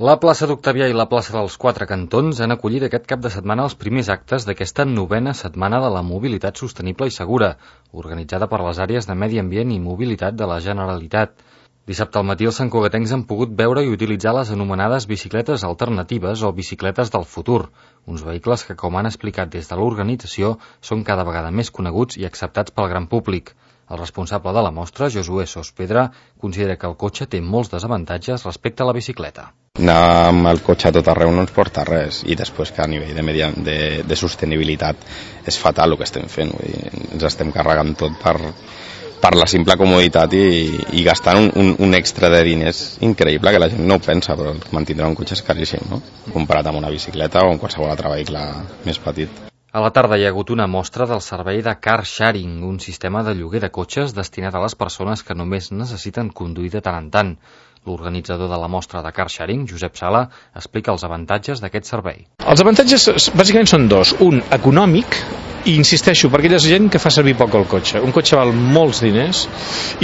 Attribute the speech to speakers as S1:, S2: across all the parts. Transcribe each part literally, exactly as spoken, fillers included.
S1: La plaça d'Octavià i la plaça dels Quatre Cantons han acollit aquest cap de setmana els primers actes d'aquesta novena setmana de la mobilitat sostenible i segura, organitzada per les àrees de Medi Ambient i Mobilitat de la Generalitat. Dissabte al matí els santcugatencs han pogut veure i utilitzar les anomenades bicicletes alternatives o bicicletes del futur, uns vehicles que, com han explicat des de l'organització, són cada vegada més coneguts i acceptats pel gran públic. El responsable de la mostra, Josué Sospedra, considera que el cotxe té molts desavantatges respecte a la bicicleta.
S2: Anar amb el cotxe a tot arreu no ens porta res, i després que a nivell de, medi, de, de sostenibilitat és fatal el que estem fent. Vull dir, ens estem carregant tot per, per la simple comoditat i, i gastant un, un, un extra de diners increïble, que la gent no ho pensa, però mantindre un cotxe és caríssim, no? Comparat amb una bicicleta o amb qualsevol altre vehicle més petit.
S1: A la tarda hi ha hagut una mostra del servei de car sharing, un sistema de lloguer de cotxes destinat a les persones que només necessiten conduir de tant en tant. L'organitzador de la mostra de car sharing, Josep Sala, explica els avantatges d'aquest servei.
S3: Els avantatges bàsicament són dos. Un, econòmic, i insisteixo, per aquella gent que fa servir poc el cotxe. Un cotxe val molts diners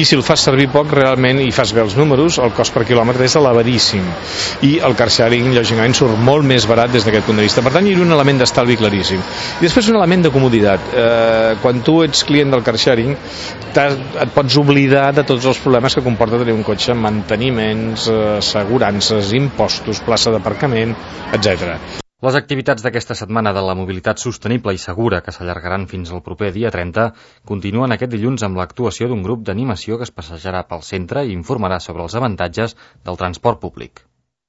S3: i si el fas servir poc realment i fas bé els números, el cost per quilòmetre és elevadíssim. I el car sharing, lògicament, surt molt més barat des d'aquest punt de vista. Per tant, hi ha un element d'estalvi claríssim. I després un element de comoditat. Eh, quan tu ets client del car sharing, et pots oblidar de tots els problemes que comporta tenir un cotxe, manteniments, assegurances, impostos, plaça d'aparcament, etcètera.
S1: Les activitats d'aquesta setmana de la mobilitat sostenible i segura, que s'allargaran fins al proper dia trenta, continuen aquest dilluns amb l'actuació d'un grup d'animació que es passejarà pel centre i informarà sobre els avantatges del transport públic.